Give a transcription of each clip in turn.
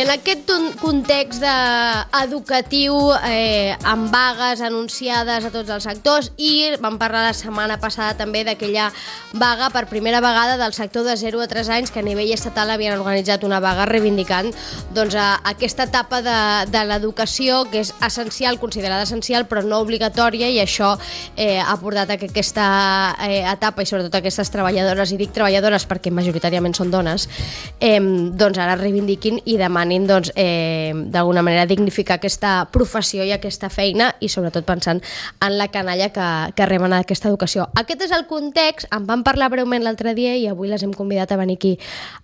en aquest context educatiu, amb vagues anunciades a tots els sectors, i vam parlar la setmana passada també d'aquella vaga per primera vegada del sector de 0 a 3 anys, que a nivell estatal havien organitzat una vaga reivindicant doncs, aquesta etapa de l'educació, que és essencial, considerada essencial, però no obligatòria, i això ha portat a que aquesta etapa, i sobretot aquestes treballadores, i dic treballadores perquè majoritàriament són dones, doncs ara reivindiquin i demanin d'alguna manera dignificar aquesta professió i aquesta feina, i sobretot pensant en la canalla que reben aquesta educació. Aquest és el context. En vam parlar breument l'altre dia i avui les hem convidat a venir aquí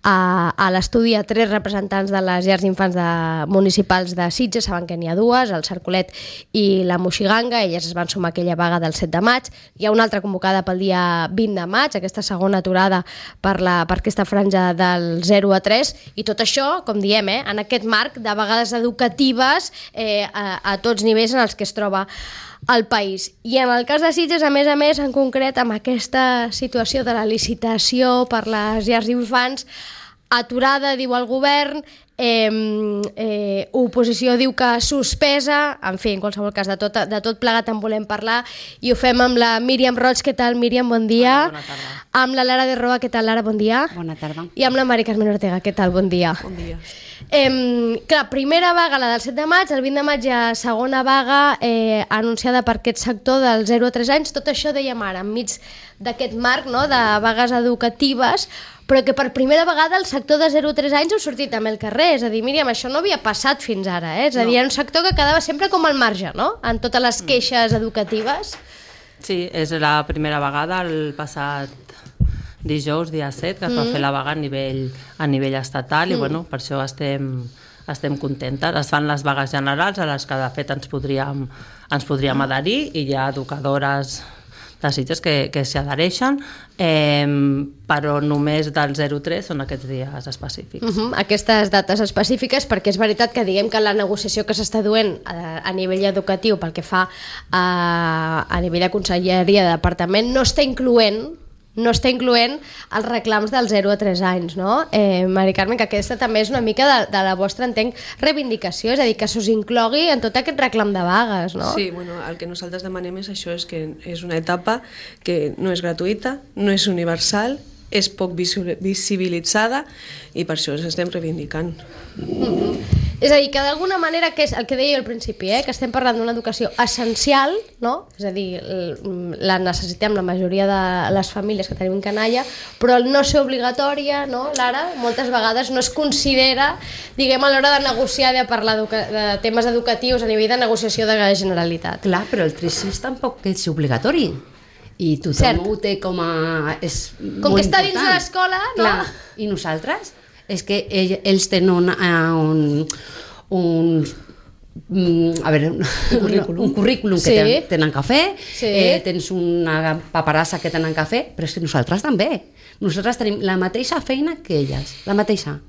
a l'estudi a 3 representants de les llars d'infants municipals de Sitges. Saben que n'hi ha 2, el Cercolet i la Moixiganga. Elles es van sumar a aquella vaga del 7 de maig. Hi ha una altra convocada pel dia 20 de maig, aquesta segona aturada per aquesta franja del 0 a 3, i tot això, com diem, en aquest marc de vegades educatives a tots nivells en els que es troba el país. I en el cas de Sitges, a més, en concret, amb aquesta situació de la licitació per les llars d'infants, aturada, diu el govern, oposició diu que suspesa, en fi, en qualsevol cas, de tot plegat en volem parlar, i ho fem amb la Míriam Roig. Què tal, Míriam? Bon dia. Bona tarda. Amb la Lara de Roa. Què tal, Lara? Bon dia. Bona tarda. I amb la Mari Carmen Ortega. Què tal? Bon dia. Bon dia. Clar, primera vaga, la del 7 de maig, el 20 de maig hi ha segona vaga anunciada per aquest sector del 0 a 3 anys. Tot això, dèiem ara, enmig d'aquest marc, no?, de vagues educatives, però que per primera vegada el sector de 0 a 3 anys heu sortit també al carrer. És a dir, Míriam, això no havia passat fins ara, És a dir, era un sector que quedava sempre com al marge, no?, en totes les queixes educatives. Sí, és la primera vegada, el passat dijous, dia 7, que es va fer la vaga a nivell estatal, i bueno, per això estem contentes. Es fan les vagues generals, a les que de fet ens podríem adherir, i hi ha educadores de Sitges que s'hi adhereixen, però només del 0-3 són aquests dies específics. Aquestes dates específiques, perquè és veritat que diguem que la negociació que s'està duent a nivell educatiu pel que fa a nivell de conselleria de departament no està incloent els reclams del 0 a 3 anys, no? Mari Carmen, que aquesta també és una mica de la vostra, entenc, reivindicació, és a dir, que s'us inclogui en tot aquest reclam de vagues, no? Sí, bueno, el que nosaltres demanem és això, és que és una etapa que no és gratuïta, no és universal, és poc visibilitzada, i per això ens estem reivindicant. És a dir, que d'alguna manera, que és el que deia al principi, que estem parlant d'una educació essencial, no? És a dir, la necessitem la majoria de les famílies que tenim canalla, però el no ser obligatòria, no, Lara, moltes vegades no es considera, diguem, a l'hora de negociar, de parlar de temes educatius a nivell de negociació de la Generalitat. Clar, però el 3 tampoc és obligatori. I tothom ho té com a... Com que està dins de l'escola, no? Clar, i nosaltres? És que ells tenen un currículum que tenen que fer, tens una paperassa que tenen que fer, però és que nosaltres també. Nosaltres tenim la mateixa feina que elles, la mateixa.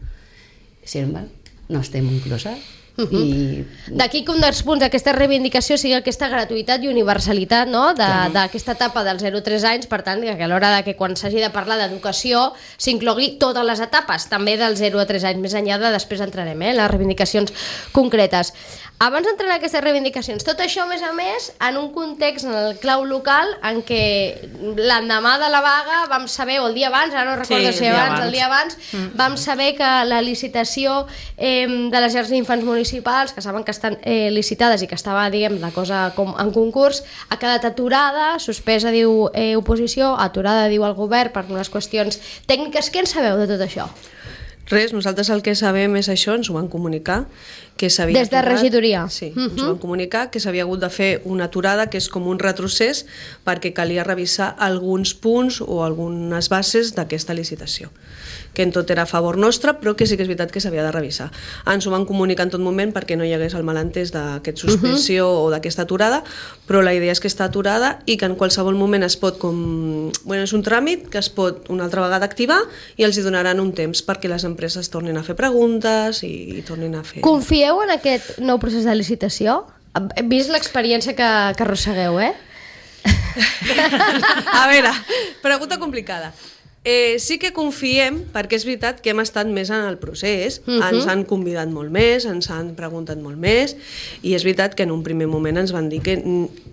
Sí, no estem incloses. D'aquí que un dels punts d'aquesta reivindicació sigui aquesta gratuïtat i universalitat, no?, d'aquesta etapa dels 0 a 3 anys, per tant, que a l'hora que quan s'hagi de parlar d'educació s'inclogui totes les etapes, també del 0 a 3 anys, més enllà de després entrarem, les reivindicacions concretes. Abans d'entrar en aquestes reivindicacions, tot això, a més, en un context, en el clau local, en què l'endemà de la vaga vam saber, o el dia abans, ara no recordo si abans, el dia abans, vam saber que la licitació de les llars d'infants municipals, que saben que estan licitades i que estava, diguem, la cosa com en concurs, ha quedat aturada, suspesa, diu oposició, aturada, diu el govern, per unes qüestions tècniques. Què en sabeu de tot això? Res, nosaltres el que sabem és això, ens ho van comunicar, que s'havia des de regidoria. Sí, ens van comunicar que s'havia hagut de fer una aturada, que és com un retrocés, perquè calia revisar alguns punts o algunes bases d'aquesta licitació, que en tot era a favor nostre, però que sí que és veritat que s'havia de revisar. Ens ho van comunicar en tot moment perquè no hi hagués el malentès d'aquesta suspensió o d'aquesta aturada, però la idea és que està aturada i que en qualsevol moment es pot, és un tràmit que es pot una altra vegada activar, i els hi donaran un temps perquè les empreses tornin a fer preguntes i tornin a fer... Confieu en aquest nou procés de licitació? Vist l'experiència que arrossegueu, A veure, pregunta complicada. Sí que confiem, perquè és veritat que hem estat més en el procés, ens han convidat molt més, ens han preguntat molt més, i és veritat que en un primer moment ens van dir que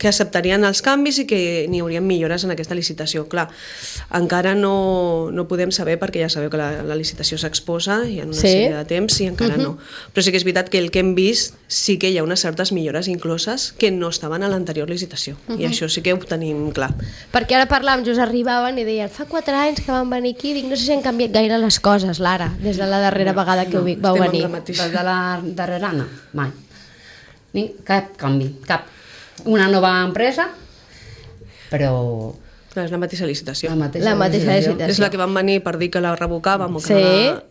acceptarien els canvis i que n'hi haurien millores en aquesta licitació. Clar, encara no podem saber, perquè ja sabeu que la licitació s'exposa i en una sèrie de temps i encara no. Però sí que és veritat que el que hem vist sí que hi ha unes certes millores incloses que no estaven a l'anterior licitació, i això sí que ho tenim clar. Perquè ara parlàvem, just arribaven i deien fa 4 anys que van venir aquí, dic, no sé si han canviat gaire les coses, Lara, des de la darrera vegada que vau venir. Des de la darrera, no, mai. Cap canvi, cap. Una nova empresa, però... És la mateixa licitació. La mateixa licitació. És la que van venir per dir que la revocàvem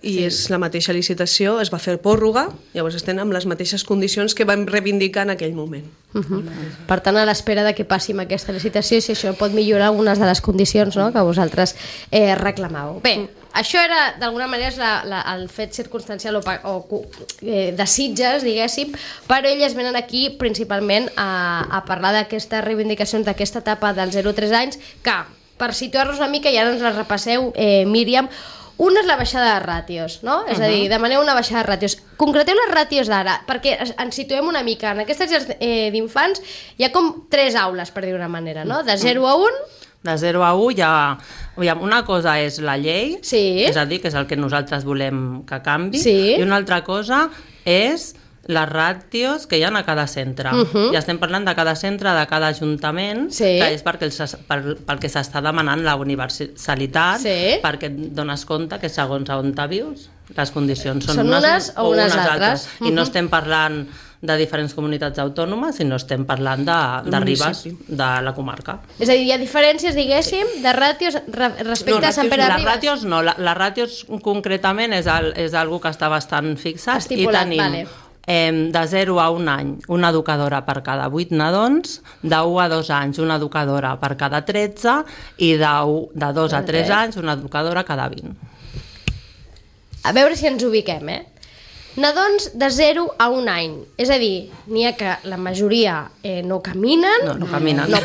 i és la mateixa licitació, es va fer pròrroga, llavors estem amb les mateixes condicions que vam reivindicar en aquell moment. Per tant, a l'espera de que passi amb aquesta licitació, si això pot millorar algunes de les condicions que vosaltres reclamàveu. Bé, això era, d'alguna manera, el fet circumstancial o de Sitges, diguéssim, però elles venen aquí principalment a parlar d'aquestes reivindicacions d'aquesta etapa dels 0-3 anys, que, per situar-nos una mica, ja ens les repasseu, Míriam, una és la baixada de ràtios, no? És a dir, demaneu una baixada de ràtios. Concreteu les ràtios d'ara, perquè ens situem una mica. En aquestes llars d'infants hi ha com 3 aules, per dir una manera, no? De 0 a 1... De 0 a 1 una cosa és la llei, és a dir, que és el que nosaltres volem que canvi, i una altra cosa és les ràtios que hi ha a cada centre. Ja estem parlant de cada centre, de cada ajuntament, que és pel que s'està demanant la universalitat, perquè et dones compte que segons on vius, les condicions són unes o unes altres. I no estem parlant de diferents comunitats autònomes, sinó estem parlant de Ribes, de la comarca. És a dir, hi ha diferències, diguéssim, de ràtios respecte a Sant Pere de Ribes? Les ràtios no, les ràtios concretament és algo que està bastant fixat, i tenim de 0 a 1 any una educadora per cada 8 nadons, de 1 a 2 anys una educadora per cada 13 i de 2 a 3 anys una educadora cada 20. A veure si ens ubiquem, Nadons de 0 a 1 any, és a dir, n'hi ha que la majoria no caminen, no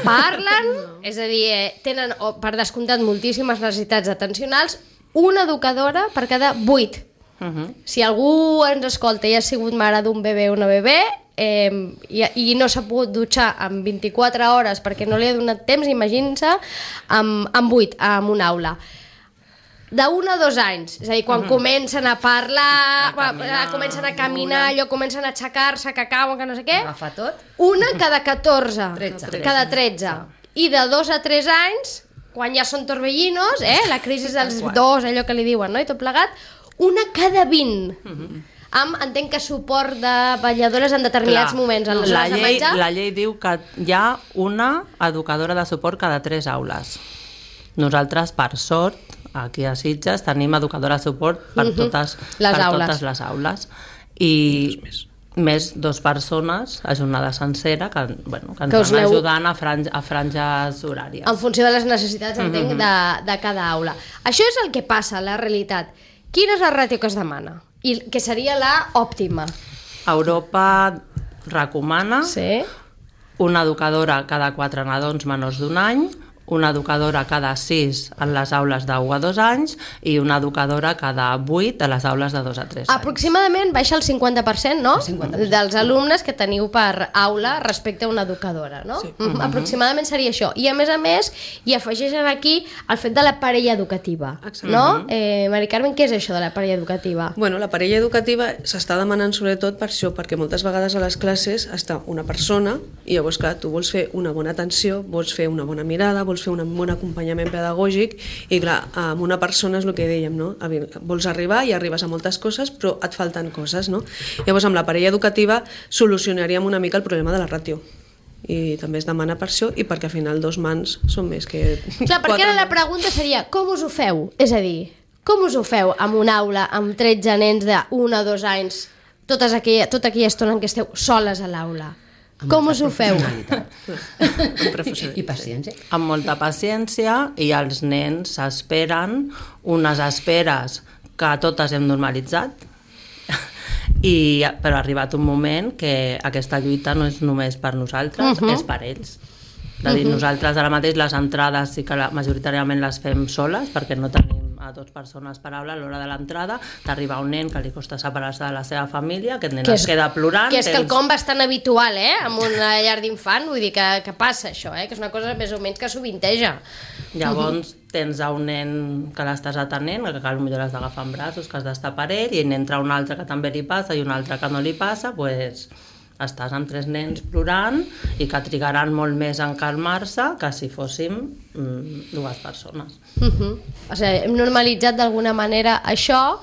parlen, és a dir, tenen per descomptat moltíssimes necessitats atencionals, una educadora per cada 8. Si algú ens escolta i ha sigut mare d'un bebè o una bebè i no s'ha pogut dutxar en 24 hores perquè no li ha donat temps, imaginin-se amb 8, en una aula. De 1 a 2 anys, és a dir, quan comencen a parlar, comencen a caminar, allò comencen a aixecar-se, que cauen, que no sé què, una cada 14, cada 13. I de 2 a 3 anys, quan ja són torbellinos, la crisi dels 2, allò que li diuen, i tot plegat, una cada 20. Entenc que suport de vetlladores en determinats moments. La llei diu que hi ha una educadora de suport cada 3 aules. Nosaltres, per sort, aquí a Sitges tenim educadora de suport per totes les aules. I més 2 persones a jornada sencera que ens van ajudant a franges horàries. En funció de les necessitats, entenc, de cada aula. Això és el que passa, la realitat. Quina és la ràtio que es demana? I que seria la òptima? Europa recomana una educadora cada 4 nadons menors d'1 any, una educadora cada 6 en les aules de 1 a 2 anys i una educadora cada 8 a les aules de 2 a 3 anys. Aproximadament baixa el 50%, no? Dels alumnes que teniu per aula respecte a una educadora, no? Sí. Aproximadament seria això. I a més, hi afegeixen aquí el fet de la parella educativa, no? Mari Carmen, què és això de la parella educativa? Bueno, la parella educativa s'està demanant sobretot per això, perquè moltes vegades a les classes està una persona i llavors, clar, tu vols fer una bona atenció, vols fer una bona mirada, vols fer un bon acompanyament pedagògic i clar, amb una persona és el que dèiem, no? Vols arribar i arribes a moltes coses però et falten coses, no? Llavors amb la parella educativa solucionaríem una mica el problema de la ràtio i també es demana per això i perquè al final 2 mans són més que... Clar, perquè ara la pregunta seria com us ho feu? És a dir, com us ho feu amb una aula amb 13 nens de 1 a 2 anys tota aquella estona en què esteu soles a l'aula? Com us ho feu? I paciència. Amb molta paciència, i els nens s'esperen unes esperes que totes hem normalitzat, però ha arribat un moment que aquesta lluita no és només per nosaltres, és per ells. És a dir, nosaltres ara mateix les entrades sí que majoritàriament les fem soles perquè no tenim a 2 persones per aula a l'hora de l'entrada, t'arriba un nen que li costa separar-se de la seva família, aquest nen es queda plorant... Que és quelcom bastant habitual, en una llar d'infant, vull dir que passa això, que és una cosa més o menys que sovinteja. Llavors tens un nen que l'estàs atenent, que potser l'has d'agafar en braços, que has d'estar per ell, i n'entra un altre que també li passa i un altre que no li passa, doncs estàs amb 3 nens plorant i que trigaran molt més en calmar-se que si fóssim 2 persones. O sigui, hem normalitzat d'alguna manera això,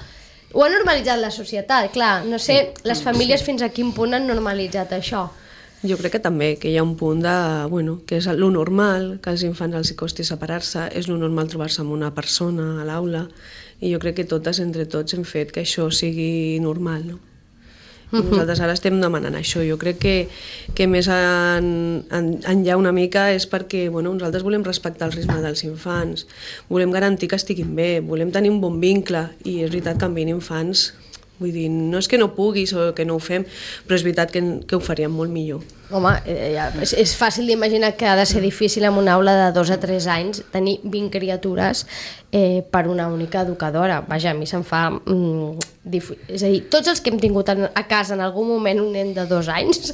ho ha normalitzat la societat, clar, no sé, les famílies fins a quin punt han normalitzat això. Jo crec que també, que hi ha un punt de, que és lo normal, que als infants els costi separar-se, és lo normal trobar-se amb una persona a l'aula, i jo crec que totes, entre tots, hem fet que això sigui normal, no? I nosaltres ara estem demanant això. Jo crec que més enllà una mica és perquè nosaltres volem respectar el ritme dels infants, volem garantir que estiguin bé, volem tenir un bon vincle, i és veritat que amb 20 infants, vull dir, no és que no puguis o que no ho fem, però és veritat que ho faríem molt millor. Home, és fàcil d'imaginar que ha de ser difícil en una aula de 2 a 3 anys tenir 20 criatures per una única educadora. Vaja, a mi se'm fa difícil. És a dir, tots els que hem tingut a casa en algun moment un nen de 2 anys,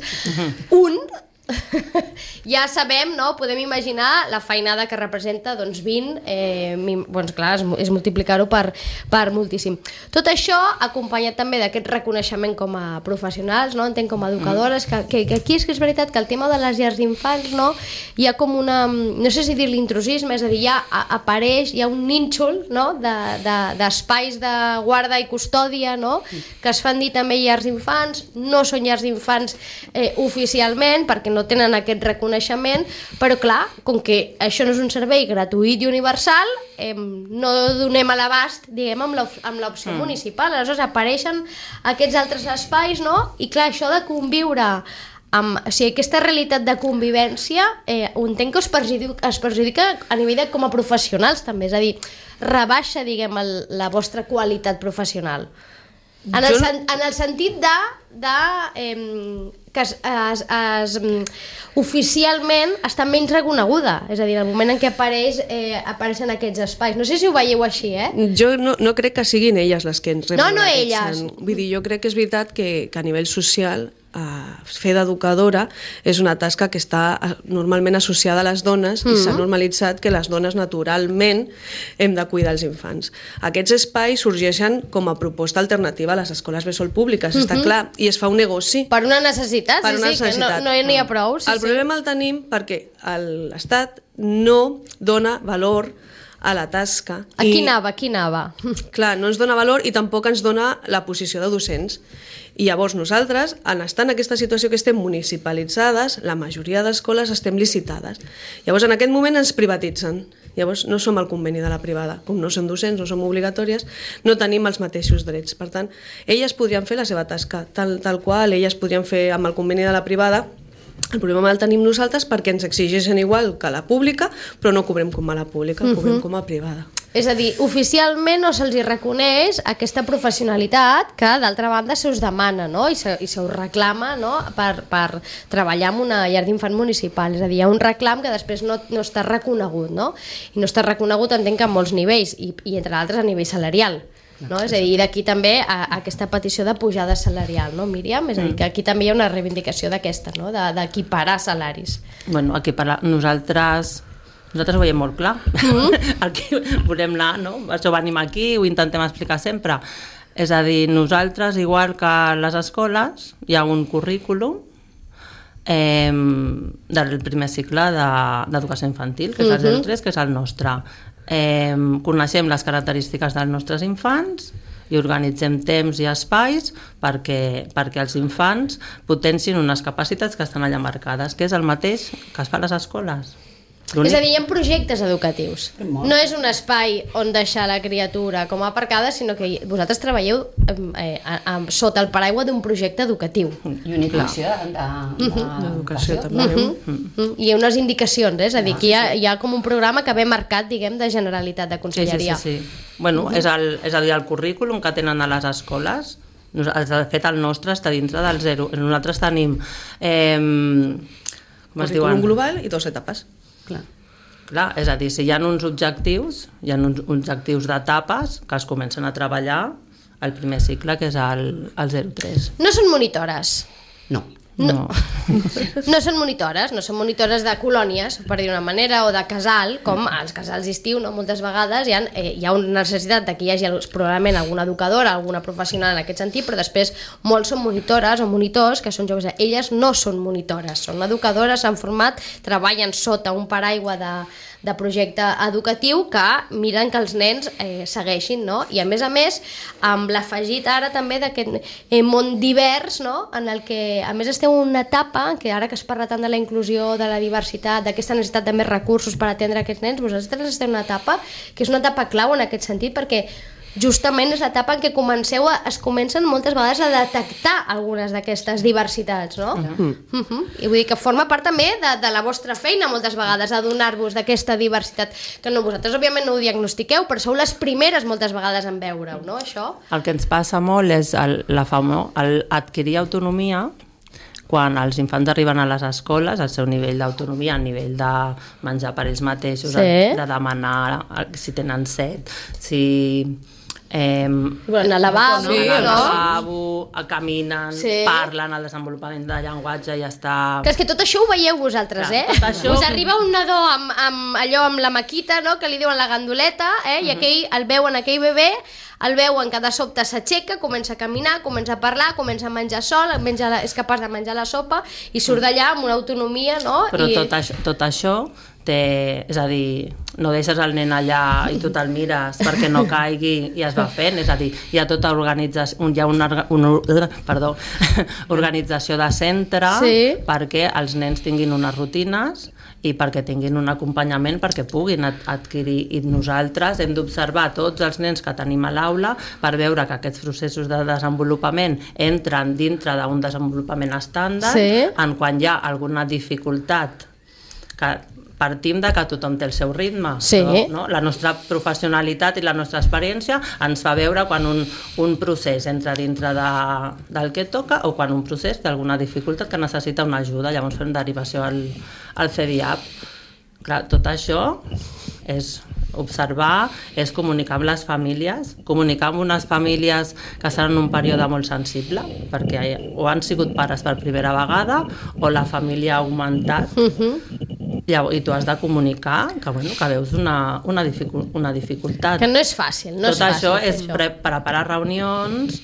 ja sabem, no? Podem imaginar la feinada que representa 20, clar, és multiplicar-ho per moltíssim. Tot això acompanyat també d'aquest reconeixement com a professionals, no? Entenc com a educadores, que aquí és que és veritat que el tema de les llars d'infants, no? Hi ha com una, no sé si dir-li intrusisme, és a dir, ja apareix, hi ha un nínxol, no? D'espais de guarda i custòdia, no? Que es fan dir també llars d'infants, no són llars d'infants oficialment, perquè no tenen aquest reconeixement, però clar, com que això no és un servei gratuït i universal, no donem a l'abast, diguem, amb l'opció municipal. Aleshores apareixen aquests altres espais, no? I clar, això de conviure amb... O sigui, aquesta realitat de convivència ho entenc que es perjudica a nivell de com a professionals també, és a dir, rebaixa, diguem, la vostra qualitat professional. En el sentit que oficialment està menys reconeguda, és a dir, en el moment en què apareixen aquests espais. No sé si ho veieu així, Jo no crec que siguin elles les que ens reben. No elles. Vull dir, jo crec que és veritat que a nivell social fer d'educadora és una tasca que està normalment associada a les dones i s'ha normalitzat que les dones naturalment hem de cuidar els infants. Aquests espais sorgeixen com a proposta alternativa a les escoles bressol públiques, està clar, i es fa un negoci. Per una necessitat, sí, que no n'hi ha prou. El problema el tenim perquè l'Estat no dona valor a la tasca. Aquí anava. Clar, no ens dona valor i tampoc ens dona la posició de docents. I llavors nosaltres, en estar en aquesta situació que estem municipalitzades, la majoria d'escoles estem licitades. Llavors en aquest moment ens privatitzen. Llavors no som al conveni de la privada. Com no som docents, no som obligatòries, no tenim els mateixos drets. Per tant, elles podrien fer la seva tasca tal qual, elles podrien fer amb el conveni de la privada. El problema el tenim nosaltres perquè ens exigeixen igual que la pública, però no cobrem com a la pública, cobrem com a privada. És a dir, oficialment no se'ls reconeix aquesta professionalitat que d'altra banda se us demana, no? I se us reclama, no? per treballar en una llar d'infant municipal. És a dir, hi ha un reclam que després no està reconegut, no? I no està reconegut, entenc que en molts nivells, i entre altres a nivell salarial. No? És a dir, d'aquí també aquesta petició de pujada salarial, no, Míriam? És a dir, que aquí també hi ha una reivindicació d'aquesta, no? D'equiparar salaris. Bueno, nosaltres ho veiem molt clar. El que volem anar, no? Això venim aquí, ho intentem explicar sempre. És a dir, nosaltres, igual que a les escoles, hi ha un currículum del primer cicle d'educació infantil, que és el 03, que és el nostre. Coneixem les característiques dels nostres infants i organitzem temps i espais perquè els infants potencin unes capacitats que estan allà marcades, que és el mateix que es fa a les escoles. És a dir, hi ha projectes educatius. No és un espai on deixar la criatura com a aparcada, sinó que vosaltres treballeu sota el paraigua d'un projecte educatiu. I una inclusió d'educació també. I hi ha unes indicacions, és a dir, que hi ha com un programa que ve marcat, diguem, de Generalitat, de Conselleria. Sí. Bueno, és a dir, el currículum que tenen a les escoles, de fet el nostre està dintre del 0. Nosaltres tenim currículum global i 2 etapes. Clar. Clar, és a dir, si hi ha uns objectius, d'etapes que es comencen a treballar al primer cicle, que és el 0-3. No són monitores. No. No. No són monitores de colònies, per dir una manera, o de casal, com els casals d'estiu, no? Moltes vegades hi ha una necessitat de que hi hagi probablement alguna educadora, alguna professional en aquest sentit, però després molts són monitores o monitors, que són joves. Elles no són monitores, són educadores, s'han format, treballen sota un paraigua de projecte educatiu que miren que els nens segueixin, no? I a més, amb l'afegit ara també d'aquest món divers, no? En el que a més esteu en una etapa, que ara que es parla tant de la inclusió, de la diversitat, d'aquesta necessitat de més recursos per atendre aquests nens, vosaltres esteu en una etapa que és una etapa clau en aquest sentit, perquè justament és l'etapa en què es comencen moltes vegades a detectar algunes d'aquestes diversitats, no? I vull dir que forma part també de la vostra feina moltes vegades, adonar-vos d'aquesta diversitat, que no, vosaltres òbviament no ho diagnostiqueu, però sou les primeres moltes vegades en veure-ho, no, això? El que ens passa molt és adquirir autonomia quan els infants arriben a les escoles, el seu nivell d'autonomia, el nivell de menjar per ells mateixos, de demanar si tenen set, si al lavabo, caminen, parlen, el desenvolupament de llenguatge ja està... Que és que tot això ho veieu vosaltres, Us arriba un nadó amb la maquita, no?, que li diuen la gandoleta, i aquell bebè, el veuen que de sobte s'aixeca, comença a caminar, comença a parlar, comença a menjar sol, és capaç de menjar la sopa i surt d'allà amb una autonomia, no? Però tot això és a dir, no deixes el nen allà i tu te'l mires perquè no caigui i es va fent, és a dir, hi ha tota organització, hi ha una organització de centre perquè els nens tinguin unes rutines i perquè tinguin un acompanyament perquè puguin adquirir, i nosaltres hem d'observar tots els nens que tenim a l'aula per veure que aquests processos de desenvolupament entren dintre d'un desenvolupament estàndard, en quan hi ha alguna dificultat que partim de que tothom té el seu ritme. No? La nostra professionalitat i la nostra experiència ens fa veure quan un procés entra dintre del que toca o quan un procés té alguna dificultat que necessita una ajuda, llavors fem derivació al CDIAP. Clar, tot això és observar, és comunicar amb les famílies, comunicar amb unes famílies que estan en un període molt sensible, perquè o han sigut pares per primera vegada o la família ha augmentat, i tu has de comunicar que veus una dificultat. Que no és fàcil. Tot això és preparar reunions,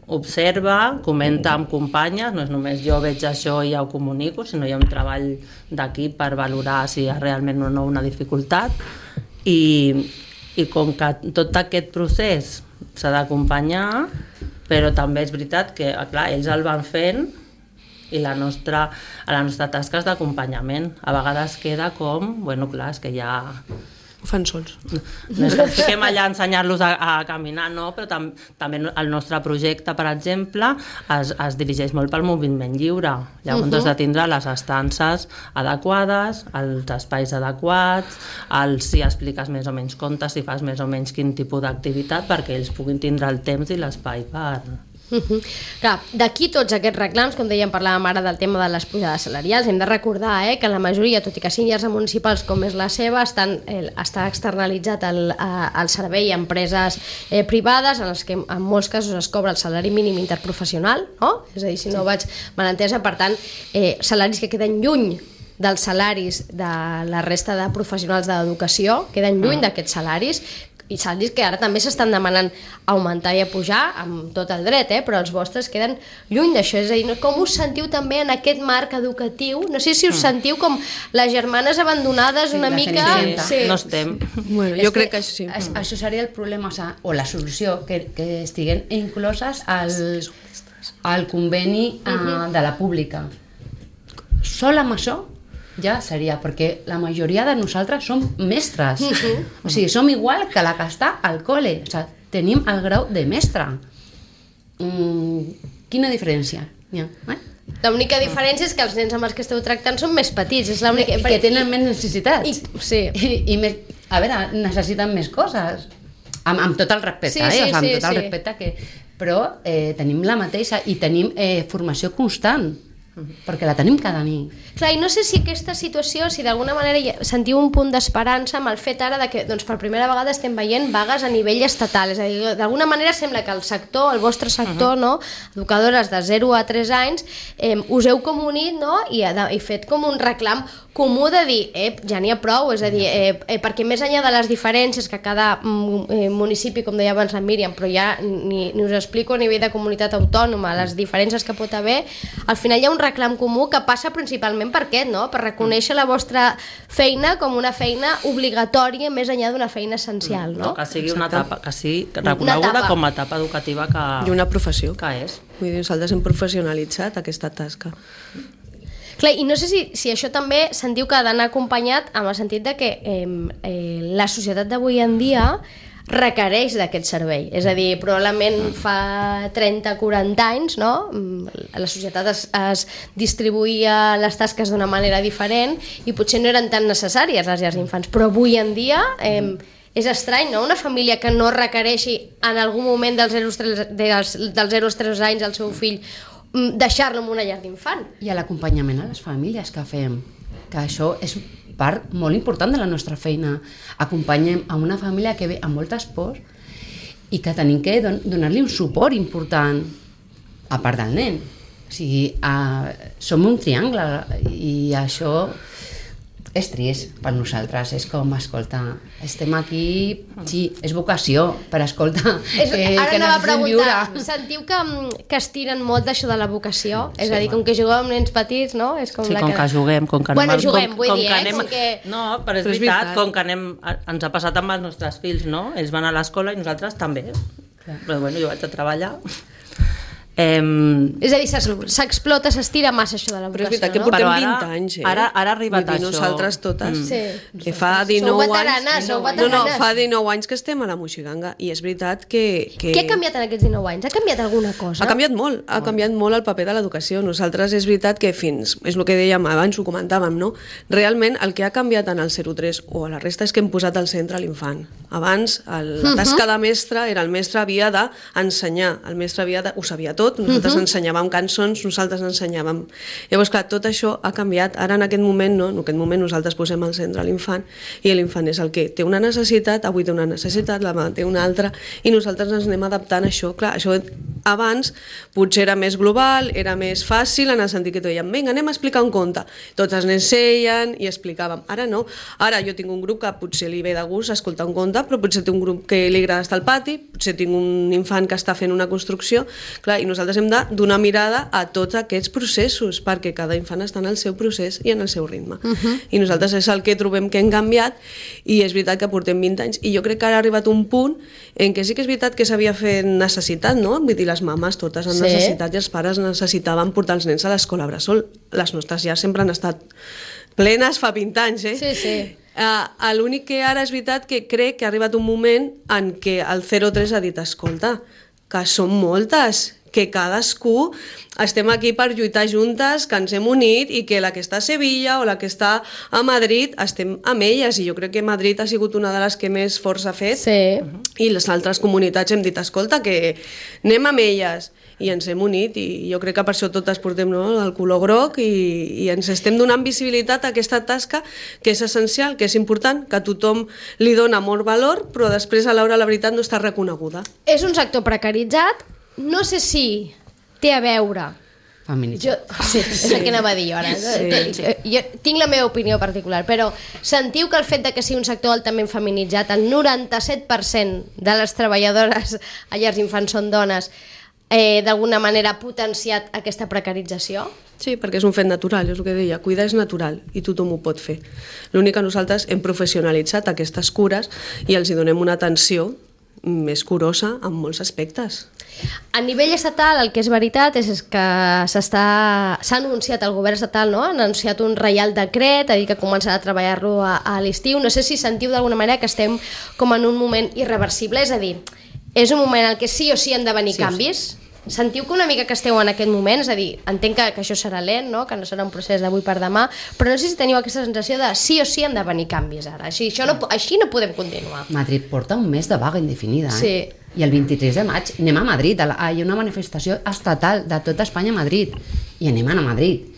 observa, comenta amb companyes, no és només jo veig això i ja ho comunico, sinó hi ha un treball d'equip per valorar si hi ha realment o no una dificultat. I com que tot aquest procés s'ha d'acompanyar, però també és veritat que, clar, ells el van fent i la nostra tasca és d'acompanyament. A vegades queda com, clar, és que ja... Ho fan sols. No és que ens fiquem allà a ensenyar-los a caminar, no, però també el nostre projecte, per exemple, es dirigeix molt pel moviment lliure. Llavors has de tindre les estances adequades, els espais adequats, si expliques més o menys contes, si fas més o menys quin tipus d'activitat, perquè ells puguin tindre el temps i l'espai per... Clar, d'aquí tots aquests reclams, com dèiem, parlàvem ara del tema de les pujades salarials, hem de recordar que la majoria, tot i que siguin llars municipals com és la seva, està externalitzat el servei a empreses privades, en les que en molts casos es cobra el salari mínim interprofessional, no? És a dir, si no vaig mal entesa, per tant, salaris que queden lluny dels salaris de la resta de professionals de l'educació, queden lluny d'aquests salaris, i salaris que ara també s'estan demanant augmentar i a pujar amb tot el dret, però els vostres queden lluny d'això. És a dir, com us sentiu també en aquest marc educatiu? No sé si us sentiu com les germanes abandonades una mica... No estem. Bueno, jo crec que sí. Això seria el problema, o la solució, que estiguen incloses al conveni de la pública. Sol amb això ja seria, perquè la majoria de nosaltres som mestres. O sigui, som igual que la que està al col·le. O sigui, tenim el grau de mestre. Quina diferència? L'única diferència és que els nens amb els que esteu tractant són més petits. És l'única... I que tenen més necessitats. Sí. I més, a veure, necessiten més coses. Amb tot el respecte, amb tot el respecte que... Però tenim la mateixa i tenim formació constant. perquè la tenim cada nit. Clar, i no sé si aquesta situació, si d'alguna manera sentiu un punt d'esperança amb el fet ara de que doncs, per primera vegada estem veient vagues a nivell estatal, és a dir, d'alguna manera sembla que el sector, el vostre sector, no? Educadores de 0 a 3 anys, us heu com unit, no? I fet com un reclam comú de dir, ja n'hi ha prou, és a dir, perquè més enllà de les diferències que cada municipi, com deia abans la Míriam, però ja ni us explico a nivell de comunitat autònoma, les diferències que pot haver, al final hi ha un reclam comú que passa principalment per aquest, no? Per reconèixer la vostra feina com una feina obligatòria més enllà d'una feina essencial, no? Que sigui una etapa, que sigui reconeguda com a etapa educativa que... I una professió. Que és. Vull dir, nosaltres hem professionalitzat aquesta tasca. Clar, i no sé si això també sentiu que ha d'anar acompanyat amb el sentit de que la societat d'avui en dia requereix d'aquest servei. És a dir, probablement fa 30-40 anys, no? La societat es distribuïa les tasques d'una manera diferent i potser no eren tan necessàries les llars d'infants, però avui en dia és estrany, no? Una família que no requereixi en algun moment dels 0 als 3 anys al seu fill deixar-lo en una llar d'infant. I a l'acompanyament a les famílies que fem, que això és part molt important de la nostra feina. Acompanyem a una família que ve amb moltes pors i que tenim que donar-li un suport important a part del nen. O sigui, som un triangle i això és trist per nosaltres, és com, escolta, estem aquí, sí, és vocació per escoltar ara anava a preguntar, sentiu que estiren molt d'això de la vocació? És a dir, com que jugueu amb nens petits, no? És com sí, com que juguem, com que anem... Bueno, juguem, vull dir, com que... No, però és veritat, com que anem... Ens ha passat amb els nostres fills, no? Ells van a l'escola i nosaltres també. Però bueno, jo vaig a treballar... És a dir, s'explota, s'estira massa això de la vocació, però és veritat que portem 20 anys, Ara ha arribat això. Nosaltres totes. Sí. Fa 19 anys... Sou veteranes. Fa 19 anys que estem a la Moixiganga i és veritat que... Què ha canviat en aquests 19 anys? Ha canviat alguna cosa? Ha canviat molt el paper de l'educació. Nosaltres és veritat que fins... És el que dèiem abans, ho comentàvem, no? Realment el que ha canviat en el 0-3 o a la resta és que hem posat al centre l'infant. Abans la tasca de mestre era el mestre havia d'ensenyar, el mestre ho sabia tot, nosaltres ensenyàvem cançons, nosaltres ensenyàvem... Llavors, clar, tot això ha canviat. Ara, en aquest moment, no? En aquest moment nosaltres posem al centre l'infant i l'infant és el que té una necessitat, avui té una necessitat, demà té una altra, i nosaltres ens anem adaptant a això. Clar, això abans potser era més global, era més fàcil, en el sentit que dèiem, vinga, anem a explicar un conte. Tots els nens seien i explicàvem. Ara no. Ara jo tinc un grup que potser li ve de gust escoltar un conte, però potser té un grup que li agrada estar al pati, potser tinc un infant que està fent una construcció, clar, i nosaltres hem de donar mirada a tots aquests processos, perquè cada infant està en el seu procés i en el seu ritme. I nosaltres és el que trobem que hem canviat, i és veritat que portem 20 anys, i jo crec que ara ha arribat un punt en què sí que és veritat que s'havia fet necessitat, no? Vull dir, les mames totes han necessitat i els pares necessitaven portar els nens a l'escola bressol. Les nostres ja sempre han estat plenes fa 20 anys, Sí, sí. L'únic que ara és veritat que crec que ha arribat un moment en què el 0-3 ha dit, escolta, que són moltes, que cadascú estem aquí per lluitar juntes, que ens hem unit i que la que està a Sevilla o la que està a Madrid estem amb elles, i jo crec que Madrid ha sigut una de les que més força ha fet, i les altres comunitats hem dit, escolta, que anem amb elles, i ens hem unit, i jo crec que per això totes portem, no, el color groc, i ens estem donant visibilitat a aquesta tasca que és essencial, que és important, que tothom li dona molt valor, però després a l'hora la veritat no està reconeguda. És un sector precaritzat, no sé si té a veure... Feminitzat. Sí, és el que anava a dir jo ara. Jo tinc la meva opinió particular, però sentiu que el fet de que sigui un sector altament feminitzat, el 97% de les treballadores a llars d'infants són dones, d'alguna manera ha potenciat aquesta precarització? Sí, perquè és un fet natural, és el que deia, cuidar és natural i tothom ho pot fer. L'únic que nosaltres hem professionalitzat aquestes cures i els hi donem una atenció més curosa en molts aspectes. A nivell estatal, el que és veritat és que s'ha anunciat, el govern estatal, no? Ha anunciat un reial decret, ha dit que començarà a treballar-lo a l'estiu. No sé si sentiu d'alguna manera que estem com en un moment irreversible, és a dir, és un moment en què sí o sí han de venir canvis. Sentiu que una mica que esteu en aquest moment, és a dir, entenc que això serà lent, no? Que no serà un procés d'avui per demà, però no sé si teniu aquesta sensació de sí o sí han de venir canvis ara, així no podem continuar. Madrid porta un mes de vaga indefinida, Sí. I el 23 de maig anem a Madrid, hi ha una manifestació estatal de tota Espanya a Madrid, i anem a anar a Madrid.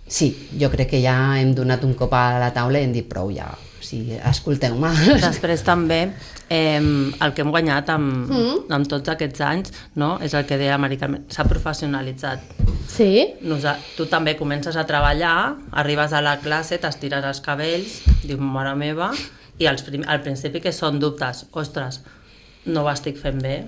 Sí, jo crec que ja hem donat un cop a la taula i hem dit prou ja, o sigui, escolteu-me. Després també el que hem guanyat amb tots aquests anys, no? És el que deia Amèrica, s'ha professionalitzat. Sí. Tu també comences a treballar, arribes a la classe, t'estires els cabells, dius, mare meva, i al principi que són dubtes, ostres, no ho estic fent bé,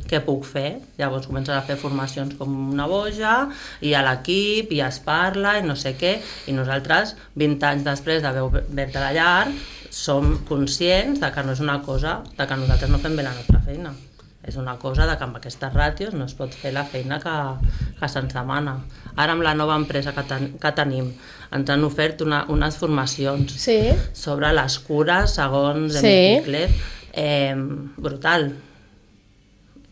què puc fer? Llavors comences a fer formacions com una boja, i a l'equip, i es parla, i no sé què, i nosaltres, 20 anys després d'haver obert la llar, som conscients de que no és una cosa, de que nosaltres no fem bé la nostra feina. És una cosa de que amb aquestes ràtios no es pot fer la feina que se'ns demana. Ara amb la nova empresa que tenim ens han ofert unes formacions sobre les cures segons Emil Kicler. Brutal,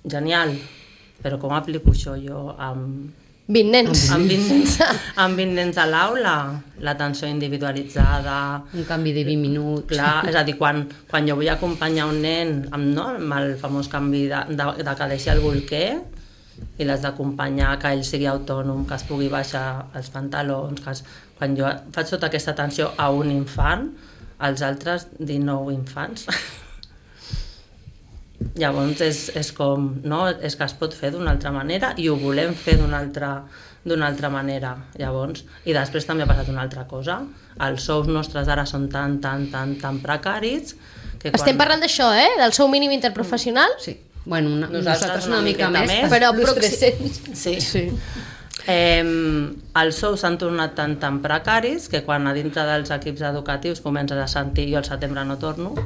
genial, però com aplico això jo amb 20 nens? Amb 20 nens a l'aula, l'atenció individualitzada, un canvi de 20 minuts. Clar, és a dir, quan jo vull acompanyar un nen amb el famós canvi de que deixi el bolquer i l'has d'acompanyar, que ell sigui autònom, que es pugui baixar els pantalons, quan jo faig tota aquesta atenció a un infant, als altres 19 infants. Llavors és com, no? És que es pot fer d'una altra manera i ho volem fer d'una altra manera. Llavors, i després també ha passat una altra cosa. Els sous nostres ara són tan precaris que Estem parlant d'això, del sou mínim interprofessional? Sí. Bueno, nosaltres una mica més, però plus 300. Sí. Els sous s'han tornat tan precaris que quan a dintre dels equips educatius comences a sentir jo al setembre no torno,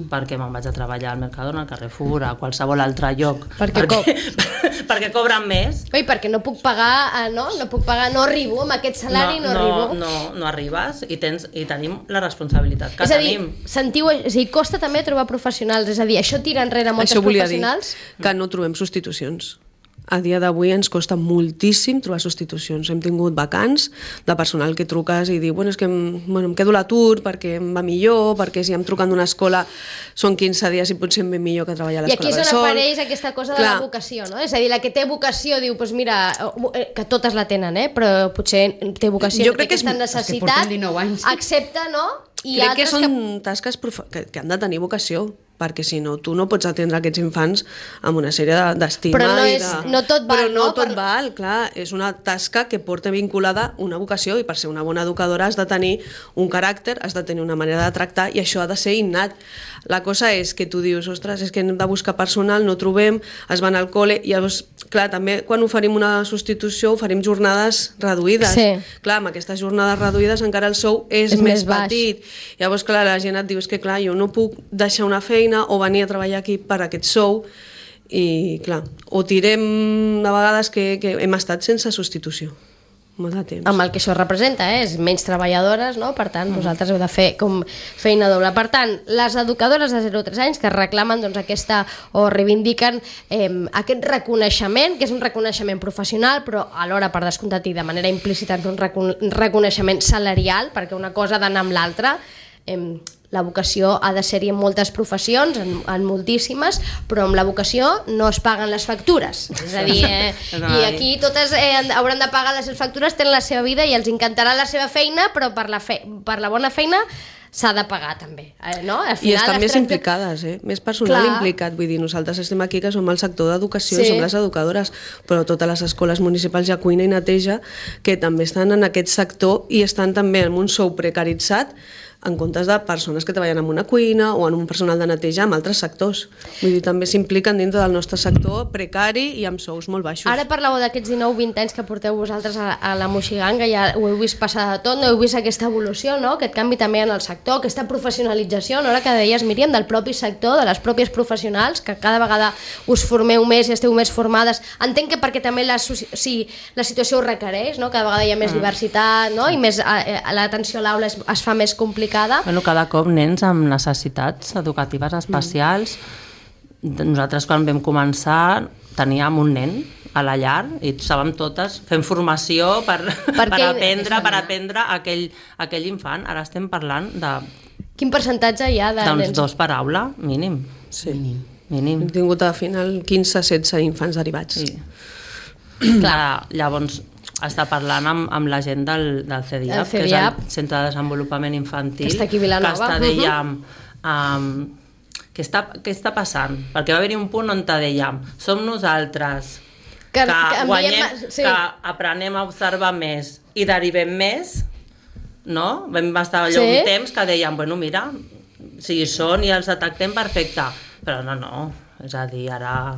perquè me'n vaig a treballar al Mercadona, al Carrefour, a qualsevol altre lloc, perquè cobren més. Oi, perquè no puc pagar, no arribo, amb aquest salari no arribo. No arribes i tenim la responsabilitat que tenim. És a dir, costa també trobar professionals, és a dir, això tira enrere moltes professionals. Això volia dir que no trobem substitucions. A dia d'avui ens costa moltíssim trobar substitucions. Hem tingut vacants de personal que truques i diu, és que em quedo a l'atur perquè em va millor, perquè si em truquen d'una escola són 15 dies i potser em ve millor que treballar a l'escola I aquí bressol. és on apareix aquesta cosa de la vocació, no? És a dir, la que té vocació diu, doncs mira, que totes la tenen, però potser té vocació, té aquesta necessitat, accepta, no? Crec que són tasques que han de tenir vocació, perquè si no, tu no pots atendre aquests infants amb una sèrie d'estima. Però no tot val, Però no tot val, clar, és una tasca que porta vinculada una vocació i per ser una bona educadora has de tenir un caràcter, has de tenir una manera de tractar i això ha de ser innat. La cosa és que tu dius, ostres, és que hem de buscar personal, no trobem, es van al col·le, i llavors, clar, també quan oferim una substitució oferim jornades reduïdes. Clar, amb aquestes jornades reduïdes encara el sou és més petit. Llavors, clar, la gent et diu, és que clar, jo no puc deixar una feina o venir a treballar aquí per aquest sou i clar, o tirem de vegades que hem estat sense substitució molt de temps. Amb el que això representa, és menys treballadores, no? Per tant, vosaltres heu de fer com feina doble. Per tant, les educadores de 0 a 3 anys que reclamen aquesta o reivindiquen aquest reconeixement, que és un reconeixement professional, però alhora per descomptat i de manera implícita un reconeixement salarial, perquè una cosa ha d'anar amb l'altra. La vocació ha de ser-hi en moltes professions, en moltíssimes, però amb la vocació no es paguen les factures. És a dir, i aquí totes hauran de pagar les seves factures, tenen la seva vida i els encantarà la seva feina, però per la bona feina s'ha de pagar també, no? I estan més implicades, més personal implicat. Vull dir, nosaltres estem aquí que som el sector d'educació, som les educadores, però totes les escoles municipals de cuina i neteja que també estan en aquest sector i estan també en un sou precaritzat en comptes de persones que treballen en una cuina o en un personal de neteja en altres sectors. Vull dir, també s'impliquen dintre del nostre sector precari i amb sous molt baixos. Ara parlàveu d'aquests 19-20 anys que porteu vosaltres a la Moixiganga, ja ho heu vist passar de tot, no heu vist aquesta evolució, no? Aquest canvi també en el sector, aquesta professionalització, no? Ara que deies, Míriam, del propi sector, de les pròpies professionals, que cada vegada us formeu més i esteu més formades. Entenc que perquè també la situació ho requereix, no? Cada vegada hi ha més diversitat, no? I més l'atenció a l'aula es fa més complicada. Bueno, cada cop nens amb necessitats educatives especials. Nosaltres quan vam començar teníem un nen a la llar i estàvem totes fent formació per aprendre aquell infant. Ara estem parlant de... Quin percentatge hi ha de nens? Doncs 2 per aula, mínim. Sí. mínim. Hem tingut al final 15-16 infants derivats. Sí. Clar, llavors està parlant amb la gent del CDIAP, que és el Centre de Desenvolupament Infantil, que està aquí a Vilanova. Que està, dèiem, què està passant? Perquè va haver-hi un punt on dèiem, som nosaltres que guanyem, que aprenem a observar més i derivem més, no? Vam estar allò un temps que dèiem, bueno, mira, si hi són i els detectem, perfecte, però no, és a dir, ara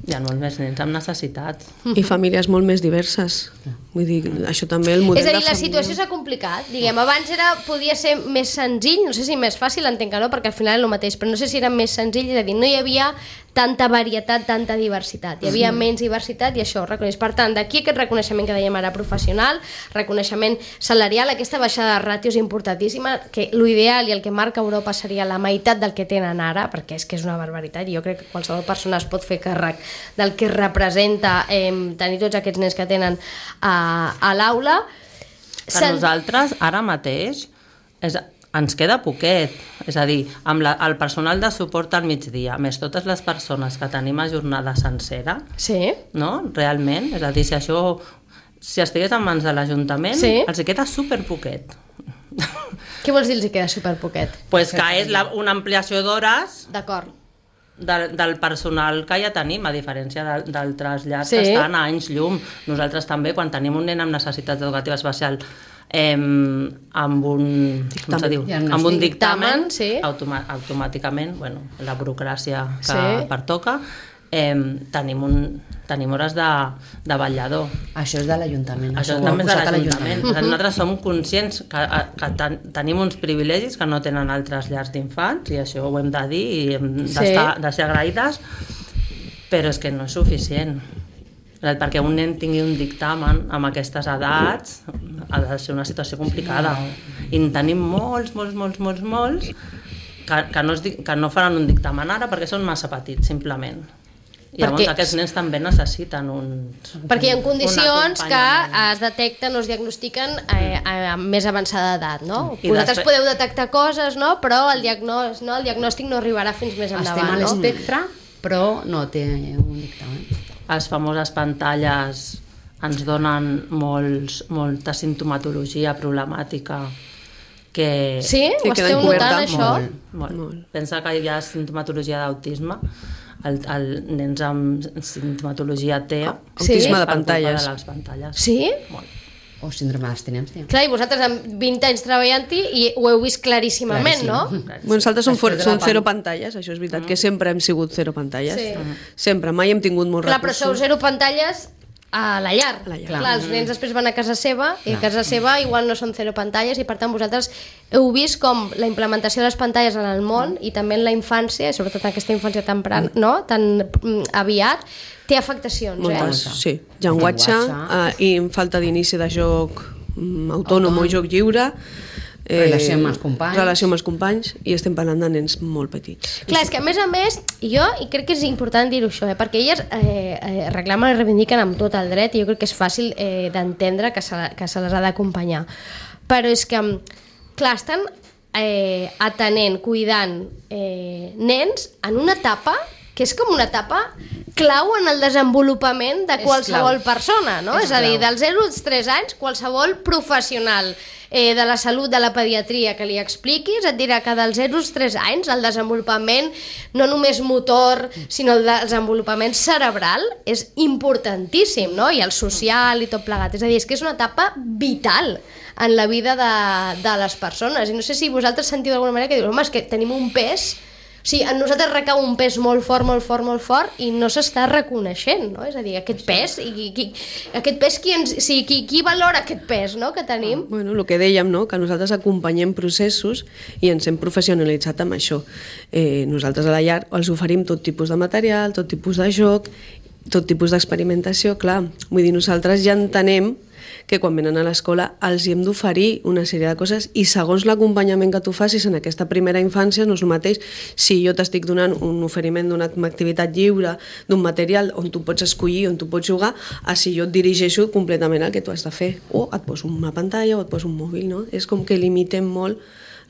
hi ha molts més nens amb necessitats. I famílies molt més diverses. Vull dir, això també el model de família... És a dir, la situació s'ha complicat. Diguem, abans podia ser més senzill, no sé si més fàcil, entenc que no, perquè al final és el mateix, però no sé si era més senzill, és a dir, no hi havia tanta varietat, tanta diversitat. Hi havia menys diversitat i això ho reconeix. Per tant, d'aquí aquest reconeixement que dèiem ara professional, reconeixement salarial, aquesta baixada de ràtios importantíssima, que l'ideal i el que marca Europa seria la meitat del que tenen ara, perquè és que és una barbaritat, i jo crec que qualsevol persona es pot fer càrrec del que representa tenir tots aquests nens que tenen a l'aula. Que nosaltres, ara mateix, ens queda poquet, és a dir, amb el personal de suport al migdia, més totes les persones que tenim a jornada sencera, no? Realment, és a dir, si estigués en mans de l'Ajuntament, els queda superpoquet. Què vols dir els queda superpoquet? Pues que és una ampliació d'hores del personal que ja tenim, a diferència d'altres llars que estan a anys llum. Nosaltres també, quan tenim un nen amb necessitats educatives especials amb un dictamen, automàticament, la burocràcia que pertoca, tenim hores de vetllador. Això és de l'Ajuntament. Això també és de l'Ajuntament. Nosaltres som conscients que tenim uns privilegis que no tenen altres llars d'infants, i això ho hem de dir i hem de ser agraïdes, però és que no és suficient. Perquè un nen tingui un dictamen amb aquestes edats ha de ser una situació complicada. I en tenim molts que no faran un dictamen ara perquè són massa petits, simplement. I llavors aquests nens també necessiten perquè hi ha condicions que es detecten o es diagnostiquen a més avançada edat, no? Vosaltres podeu detectar coses, no? Però el diagnòstic no arribarà fins més endavant. Estem a l'espectre, però no té un dictamen. Les famoses pantalles ens donen molta simptomatologia problemàtica que... Sí? Ho esteu notant, això? Molt. Pensa que hi ha simptomatologia d'autisme. El nens amb simptomatologia té autisme de pantalles. De les pantalles. Sí? Molt. O síndrome d'abstinència. Clar, i vosaltres amb 20 anys treballant-hi i ho heu vist claríssimament, no? Nosaltres som zero pantalles, això és veritat, que sempre hem sigut zero pantalles. Sempre, mai hem tingut molts recursos. Clar, però sou zero pantalles a la llar. Clar, els nens després van a casa seva i a casa seva igual no són zero pantalles, i per tant vosaltres heu vist com la implementació de les pantalles en el món i també en la infància, sobretot en aquesta infància tan aviat, té afectacions, Sí, llenguatge i falta d'inici de joc autònom o joc lliure, relació amb els companys, i estem parlant de nens molt petits. Clar, és que a més, i crec que és important dir-ho això, perquè elles reclamen i reivindiquen amb tot el dret, i jo crec que és fàcil d'entendre que se les ha d'acompanyar, però és que, clar, estan atenent, cuidant nens en una etapa que és com una etapa clau en el desenvolupament de qualsevol persona, no? És a dir, dels 0 als 3 anys, qualsevol professional de la salut, de la pediatria que li expliquis, et dirà que dels 0 als 3 anys el desenvolupament no només motor, sinó el desenvolupament cerebral és importantíssim, no? I el social i tot plegat. És a dir, és que és una etapa vital en la vida de les persones. I no sé si vosaltres sentiu d'alguna manera que dius, home, és que tenim un pes... O sigui, en nosaltres recau un pes molt fort i no s'està reconeixent, no? És a dir, aquest pes, qui valora aquest pes, no?, que tenim? Bueno, el que dèiem, no?, que nosaltres acompanyem processos i ens hem professionalitzat amb això. Nosaltres a la llar els oferim tot tipus de material, tot tipus de joc, tot tipus d'experimentació, clar. Vull dir, nosaltres ja entenem que quan venen a l'escola els hi hem d'oferir una sèrie de coses, i segons l'acompanyament que tu facis en aquesta primera infància no és el mateix si jo t'estic donant un oferiment d'una activitat lliure, d'un material on tu pots escollir, on tu pots jugar, a si jo et dirigeixo completament al que tu has de fer, o et poso una pantalla o et poso un mòbil, no? És com que limitem molt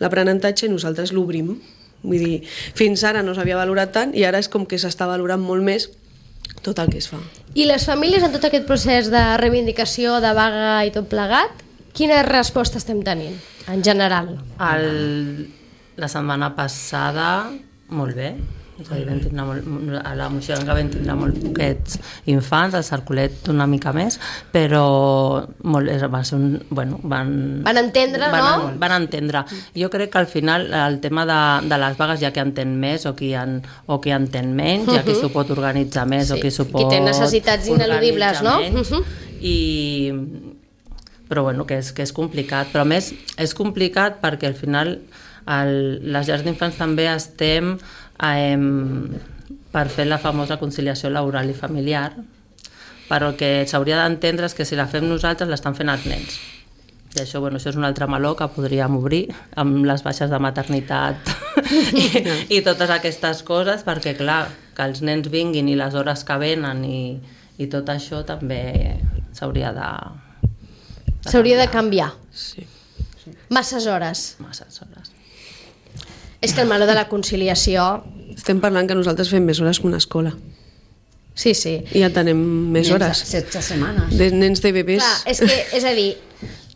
l'aprenentatge i nosaltres l'obrim Vull dir, fins ara no s'havia valorat tant i ara és com que s'està valorant molt més tot el que es fa. I les famílies en tot aquest procés de reivindicació, de vaga i tot plegat, quina resposta estem tenint, en general? La setmana passada, molt bé. És a dir, a la Moixonga vam tindre molt poquets infants, al Cercolet una mica més, però va ser van entendre, no? Van entendre. Jo crec que al final el tema de les vagues, ja que entén més o qui entén menys, ja qui s'ho pot organitzar més o qui s'ho pot... Qui té necessitats ineludibles, no? Però bueno, que és complicat. Però a més, és complicat perquè al final les llars d'infants també estem per fer la famosa conciliació laboral i familiar, però el que s'hauria d'entendre és que si la fem nosaltres l'estan fent els nens. I això, això és un altre meló que podríem obrir amb les baixes de maternitat i totes aquestes coses, perquè clar, que els nens vinguin i les hores que venen i tot això també s'hauria de canviar. Sí. Masses hores. És que el meló de la conciliació... Estem parlant que nosaltres fem més hores que una escola. Sí. I ja tenim més hores. 16 setmanes. De nens de bebès. Clar, és a dir,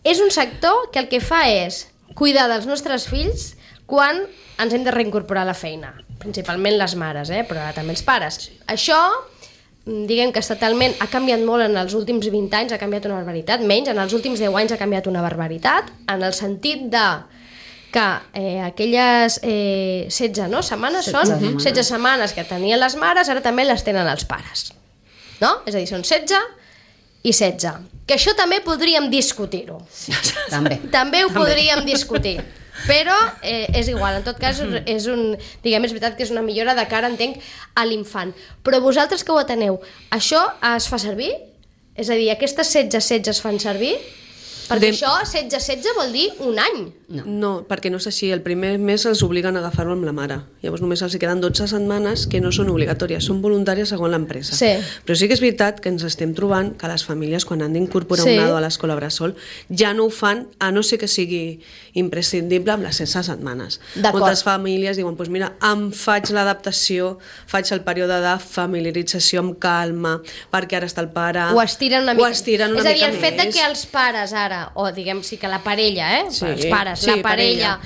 és un sector que el que fa és cuidar dels nostres fills quan ens hem de reincorporar a la feina. Principalment les mares, però també els pares. Això, diguem que estatalment ha canviat molt en els últims 20 anys, ha canviat una barbaritat, menys, en els últims 10 anys ha canviat una barbaritat, en el sentit de que aquelles 16 setmanes són 16 setmanes que tenien les mares, ara també les tenen els pares. No? És a dir, són 16 i 16. Que això també podríem discutir-ho. També ho podríem discutir. Però és igual, en tot cas és veritat que és una millora de cara, entenc, a l'infant. Però vosaltres que ho ateneu, això es fa servir? És a dir, aquestes 16 es fan servir? Perquè això, 16 vol dir un any. No, perquè no és així. El primer mes els obliguen a agafar-ho amb la mare. Llavors només els queden 12 setmanes que no són obligatòries, són voluntàries segons l'empresa. Sí. Però sí que és veritat que ens estem trobant que les famílies, quan han d'incorporar un nadó a l'escola bressol, ja no ho fan, a no ser que sigui imprescindible amb les 16 setmanes. Moltes famílies diuen, doncs mira, em faig l'adaptació, faig el període de familiarització amb calma, perquè ara està el pare... Ho estiren una mica. És a dir, el fet de que els pares ara, o diguem que la parella, els pares, la parella,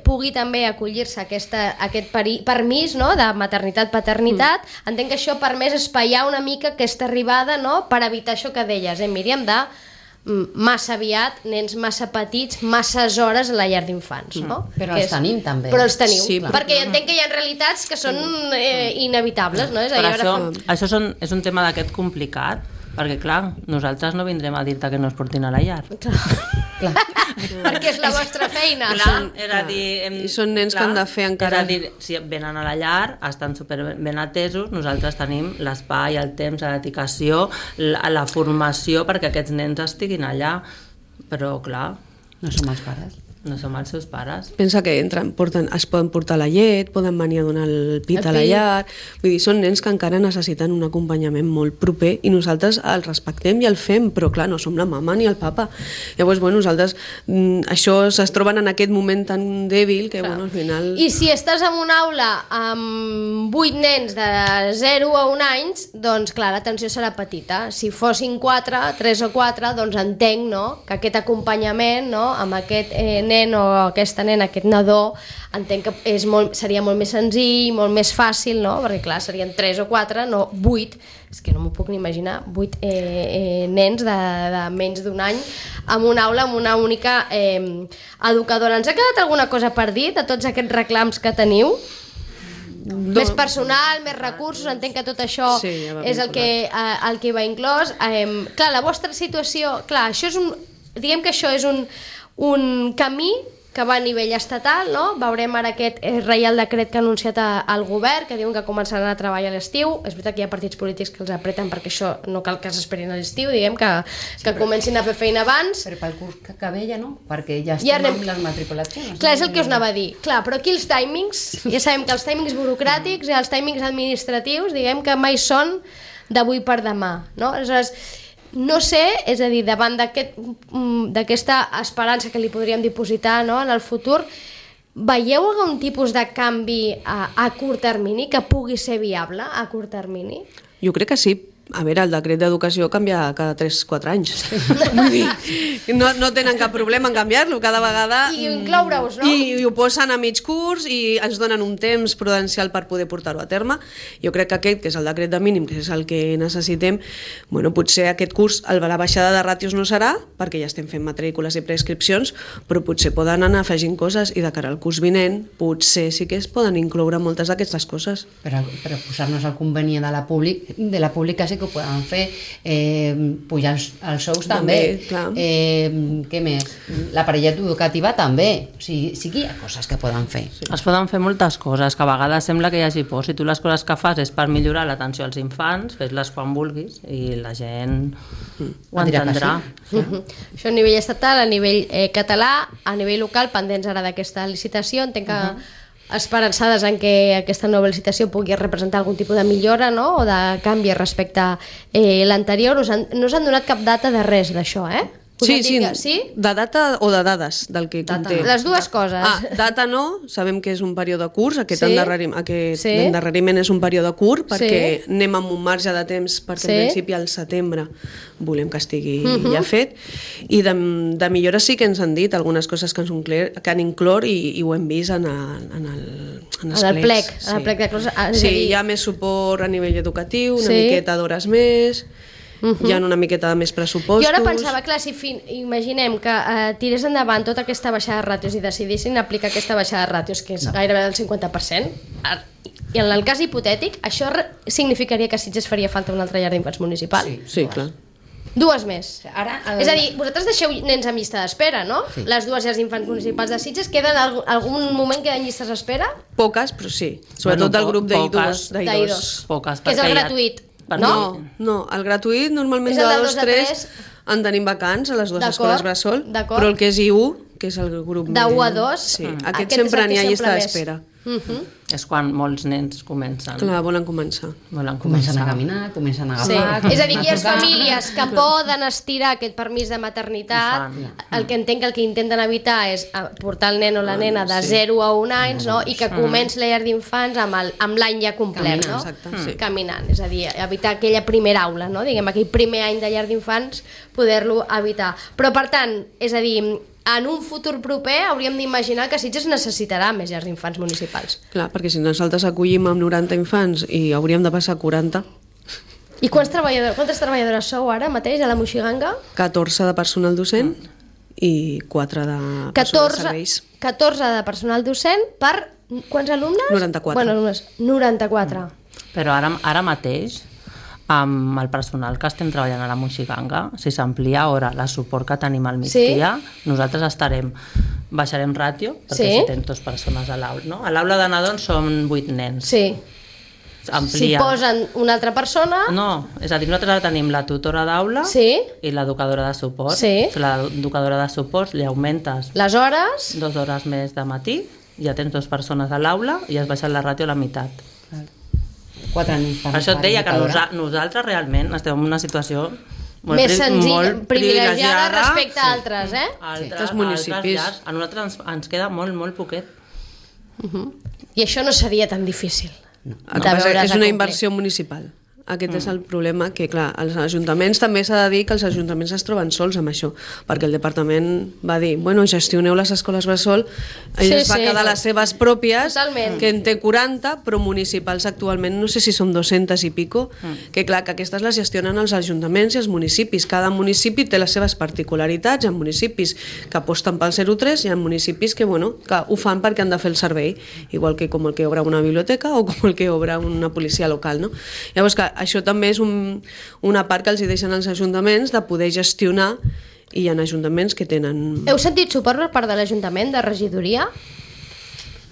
pugui també acollir-se a aquest permís, no?, de maternitat-paternitat, entenc que això ha permès espaiar una mica aquesta arribada, no?, per evitar això que deies, Míriam, de massa aviat, nens massa petits, masses hores a la llar d'infants, no? Però els tenim també. Però els teniu, sí, perquè entenc que hi ha realitats que són inevitables, no? Això és un tema d'aquest complicat, perquè clar, nosaltres no vindrem a dir-te que no es portin a la llar. Clar. Perquè és la vostra feina. I són nens que han de fer encara... És a dir, si venen a la llar, estan super ben atesos, nosaltres tenim l'espai, el temps, la dedicació, la formació perquè aquests nens estiguin allà. Però clar... No som els pares. No som els seus pares. Pensa que es poden portar la llet, poden venir a donar el pit a la llar... Vull dir, són nens que encara necessiten un acompanyament molt proper i nosaltres el respectem i el fem, però clar, no som la mama ni el papa. Llavors, nosaltres això es troben en aquest moment tan dèbil que, al final... I si estàs en una aula amb 8 nens de 0 a 1 anys, doncs clar, l'atenció serà petita. Si fossin 3 o 4, doncs entenc, no?, que aquest acompanyament, no?, amb aquest nen o aquesta nena, aquest nadó, entenc que seria molt més senzill, molt més fàcil, no? Perquè clar, serien 3 o 4, no 8, és que no m'ho puc ni imaginar, 8 nens de menys d'un any en una aula amb una única educadora. Ens ha quedat alguna cosa per dir de tots aquests reclams que teniu? Més personal, més recursos, entenc que tot això és el que va inclòs. Clar, la vostra situació, clar, això és diguem que això és un camí que va a nivell estatal, no? Veurem ara aquest reial decret que ha anunciat el govern, que diuen que començaran a treballar a l'estiu. És veritat que hi ha partits polítics que els apreten perquè això no cal que s'esperin a l'estiu, diguem que comencin a fer feina abans. Però pel curs que ve ja no, perquè ja estem amb les matriculacions. Clar, és el que us anava a dir. Clar, però aquí els timings, ja sabem que els timings burocràtics i els timings administratius, diguem que mai són d'avui per demà, no? Aleshores, no sé, és a dir, davant d'aquesta esperança que li podríem dipositar, no?, en el futur, Veieu algun tipus de canvi a curt termini que pugui ser viable a curt termini? Jo crec que sí. A veure, el decret d'educació canvia cada 3-4 anys. Vull dir, no tenen cap problema en canviar-lo cada vegada. I incloure-us, no? I ho posen a mig curs i ens donen un temps prudencial per poder portar-ho a terme. Jo crec que aquest, que és el decret de mínim, que és el que necessitem, bueno, potser aquest curs la baixada de ràtios no serà, perquè ja estem fent matrícules i prescripcions, però potser poden anar afegint coses i de cara al curs vinent potser sí que es poden incloure moltes d'aquestes coses. Per posar-nos al conveni de la pública sí que ho poden fer, pujar els sous també, què més? L'aparellat educativa també, o sigui, sí que hi ha coses que poden fer. Es poden fer moltes coses, que a vegades sembla que hi hagi por. Si tu les coses que fas és per millorar l'atenció als infants, fes-les quan vulguis i la gent ho entendrà. Això a nivell estatal, a nivell català, a nivell local, pendents ara d'aquesta licitació, entenc que esperançades en que aquesta nova licitació pugui representar algun tipus de millora, no? O de canvi respecte a l'anterior. No us han donat cap data de res d'això, eh? Sí, de data o de dades del que conté. Les dues coses. Data no, sabem que és un període curt, aquest endarreriment és un període curt perquè anem amb un marge de temps perquè en principi al setembre volem que estigui ja fet, i de millora sí que ens han dit algunes coses que han inclòs i ho hem vist en el plec. Sí, hi ha més suport a nivell educatiu, una miqueta d'hores més, hi ha una miqueta de més pressupostos. Jo ara pensava, clar, si imaginem que tirés endavant tota aquesta baixada de ràtios i decidissin aplicar aquesta baixada de ràtios, que és gairebé del 50%, i en el cas hipotètic, això significaria que a Sitges faria falta una altra llar d'infants municipal. Sí, clar. Dues més. És a dir, vosaltres deixeu nens en llista d'espera, no? Les dues llars d'infants municipals de Sitges, queden algun moment queden llistes d'espera? Poques, però sí. Sobretot del grup d'I2. Poques, que és el gratuït. No, el gratuït normalment de 2-3 en tenim vacants a les dues escoles bressol, però el que és I1, que és el grup de 1 a 2, aquest sempre n'hi ha llista d'espera. És quan molts nens comencen. Clar, volen començar. Comencen a caminar, comencen a agafar... És a dir, hi ha famílies que poden estirar aquest permís de maternitat. El que entenc que el que intenten evitar és portar el nen o la nena de 0 a 1 anys, i que comenci la llar d'infants amb l'any ja complet, caminant. És a dir, evitar aquella primera aula, aquell primer any de llar d'infants, poder-lo evitar. Però, per tant, és a dir, en un futur proper hauríem d'imaginar que Sitges necessitarà més llars d'infants municipals. Clar, perquè si nosaltres acollim amb 90 infants i hauríem de passar a 40... I quantes treballadores sou ara mateix a la Moixiganga? 14 de personal docent i 4 de personal de serveis. 14 de personal docent per quants alumnes? 94. Bueno, alumnes, 94. Però ara mateix, amb el personal que estem treballant a la Moixiganga, si s'amplia hora la suport que tenim al migdia, nosaltres baixarem ràtio, perquè si tens 2 persones a l'aula. No? A l'aula de nadons són 8 nens. Sí. Amplia. Si posen una altra persona... No, és a dir, nosaltres ara tenim la tutora d'aula i l'educadora de suport. L'educadora de suport li augmentes les hores, 2 hores més de matí, ja tens 2 persones a l'aula i has baixat la ràtio a la meitat. 4 nens. Per això et deia que nosaltres realment estem en una situació més senzilla, privilegiada respecte a altres, altres municipis. A nosaltres ens queda molt, molt poquet. I això no seria tan difícil. És una inversió municipal. Aquest és el problema, que clar, als ajuntaments també s'ha de dir que els ajuntaments es troben sols amb això, perquè el departament va dir, bueno, gestioneu les escoles bressol, ell va quedar les seves pròpies, que en té 40, però municipals actualment no sé si són 200 i pico, que clar, que aquestes les gestionen els ajuntaments i els municipis. Cada municipi té les seves particularitats, hi ha municipis que aposten pel 03 i hi ha municipis que, que ho fan perquè han de fer el servei, igual que com el que obre una biblioteca o com el que obre una policia local, no? Llavors que això també és una part que els hi deixen als ajuntaments de poder gestionar, i hi ha ajuntaments que tenen... Heu sentit suport per part de l'Ajuntament, de regidoria?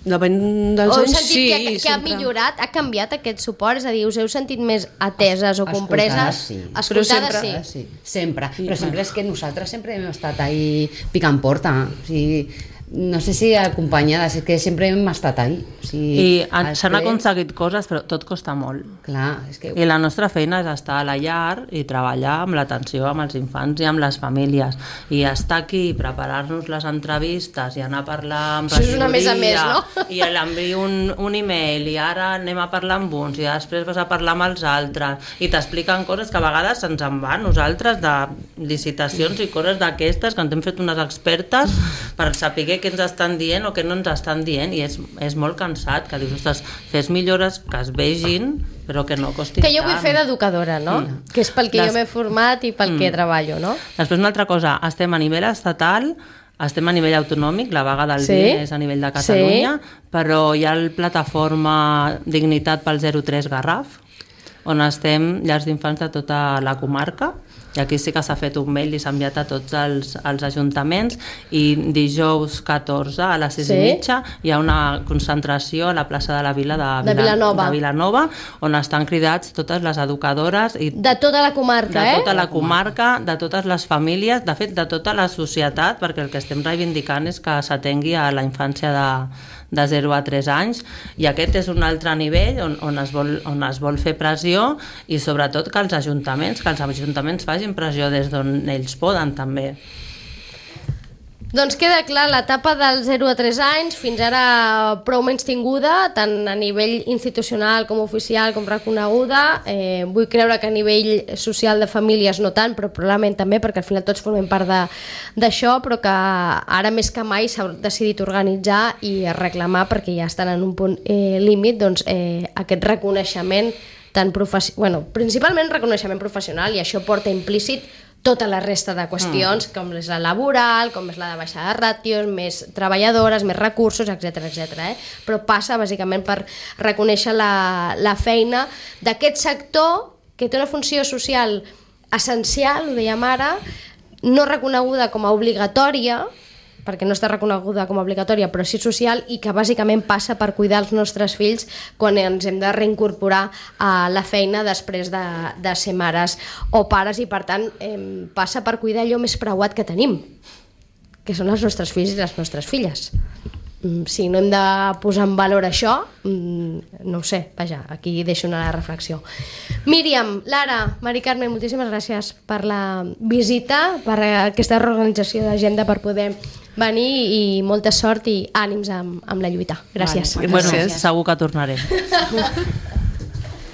Depèn dels anys, sí. Heu sentit que ha millorat, ha canviat aquest suport? És a dir, us heu sentit més ateses o compreses? Escoltades, sí. Sempre. Però sempre és que nosaltres sempre hem estat ahí picant porta. O sigui, no sé si acompanyades, és que sempre hem estat ahí. O sigui, I s'han aconseguit coses, però tot costa molt. Clar, és que... I la nostra feina és estar a la llar i treballar amb l'atenció amb els infants i amb les famílies. I estar aquí, preparar-nos les entrevistes i anar a parlar amb regidoria. Això és una més a més, no? I l'envio un email i ara anem a parlar amb uns i després vas a parlar amb els altres i t'expliquen coses que a vegades ens en va a nosaltres de licitacions i coses d'aquestes que ens hem fet unes expertes per saber què ens estan dient o què no ens estan dient i és molt cansat, que dius, ostres, fes millores que es vegin però que no costin tant. Que jo vull fer d'educadora, no? Que és pel que jo m'he format i pel que treballo, no? Després una altra cosa, estem a nivell estatal, estem a nivell autonòmic, la vaga del vi és a nivell de Catalunya, però hi ha la plataforma Dignitat pel 03 Garraf, on estem llars d'infants de tota la comarca, i aquí sí que s'ha fet un mail i s'ha enviat a tots els ajuntaments, i dijous 14 a les 6:30 hi ha una concentració a la plaça de la Vila de Vilanova, on estan cridats totes les educadores i de tota la comarca, de tota la comarca, de totes les famílies, de fet de tota la societat, perquè el que estem reivindicant és que s'atengui a la infància de 0 a 3 anys, i aquest és un altre nivell on es vol fer pressió, i sobretot que els ajuntaments facin pressió des d'on ells poden també. Doncs queda clar, l'etapa del 0 a 3 anys fins ara prou menys tinguda, tant a nivell institucional com oficial com reconeguda. Vull creure que a nivell social de famílies no tant, però probablement també, perquè al final tots formem part d'això, però que ara més que mai s'ha decidit organitzar i reclamar, perquè ja estan en un punt límit, doncs, aquest reconeixement principalment reconeixement professional, i això porta implícit tota la resta de qüestions, com és la laboral, com és la de baixar de ràtios, més treballadores, més recursos, etc. Però passa bàsicament per reconèixer la feina d'aquest sector que té una funció social essencial, ho dèiem ara, no reconeguda com a obligatòria, perquè no està reconeguda com a obligatòria, però sí social, i que bàsicament passa per cuidar els nostres fills quan ens hem de reincorporar a la feina després de ser mares o pares, i per tant passa per cuidar allò més preuat que tenim, que són els nostres fills i les nostres filles. Si no hem de posar en valor això, no ho sé, vaja, aquí deixo una reflexió. Míriam, Lara, Mari Carmen, moltíssimes gràcies per la visita, per aquesta reorganització d'agenda, per poder venir, i molta sort i ànims amb la lluita. Gràcies. Bueno, segur que tornaré.